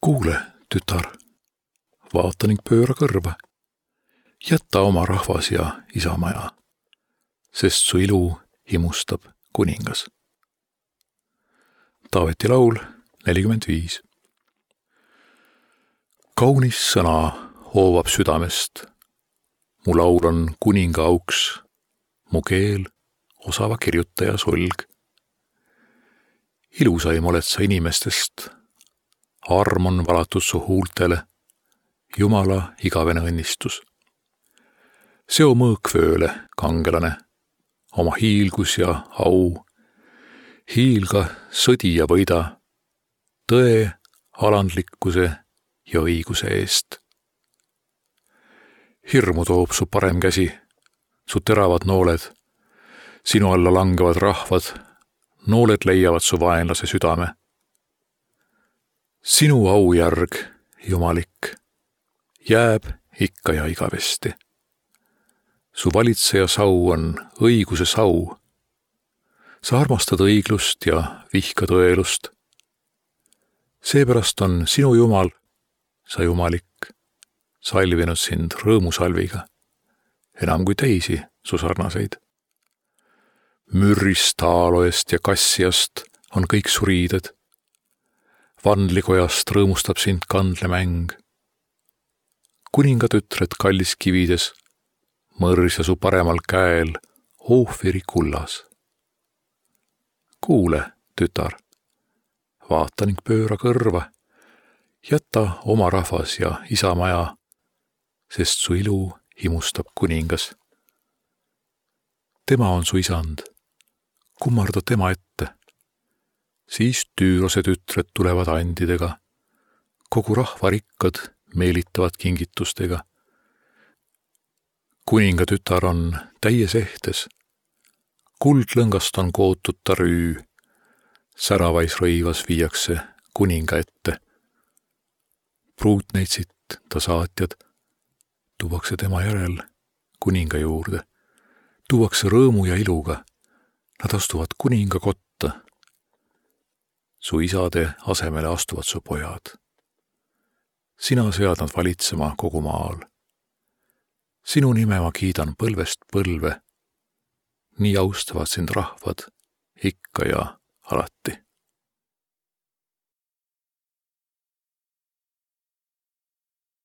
Kuule, tütar, vaata ning pööra kõrva. Jäta oma rahvas ja isamaja, sest su ilu himustab kuningas. Taaveti laul 45. Kaunis sõna hoovab südamest. Mu laul on kuninga auks, mu keel osava kirjutaja sulg. Ilusaim oled sa inimestest, arm on valatud su huultele, Jumala igavene õnnistus. Seo mõõkvööle, kangelane, oma hiilgus ja au, hiilga sõdi ja võida, tõe, alandlikkuse ja õiguse eest. Hirmu toob su parem käsi, su teravad nooled, sinu alla langevad rahvad, nooled leiavad su vaenlase südame. Sinu aujärg, jumalik, jääb ikka ja igavesti. Su valitseja sau on õiguse sau. Sa armastad õiglust ja vihkad õelust. Seepärast on sinu Jumal, sa jumalik, salvinud sind rõõmusalviga, enam kui teisi su sarnaseid. Mürrist, aaloest ja kassiast on kõik su riided. Vandlikojast rõõmustab sind kandlemäng. Kuningatütred kallis kivides, mõrsa su paremal käel, Oofiri kullas. Kuule, tütar, vaata ning pööra kõrva, jäta oma rahvas ja isamaja, sest su ilu himustab kuningas. Tema on su isand, kummarda tema ette. Siis Tüürose tütred tulevad andidega, kogu rahva rikkad meelitavad kingitustega. Kuninga tütar on täies ehtes, kuldlõngast on kootud ta rüü, säravais rõivas viiakse kuninga ette. Pruutneitsit ta saatjad, tuuakse tema järel kuninga juurde, tuuakse rõõmu ja iluga, nad astuvad kuninga kotta. Su isade asemele astuvad su pojad. Sina sead nad valitsema kogu maal. Sinu nime ma kiidan põlvest põlve. Nii austavad sind rahvad ikka ja alati.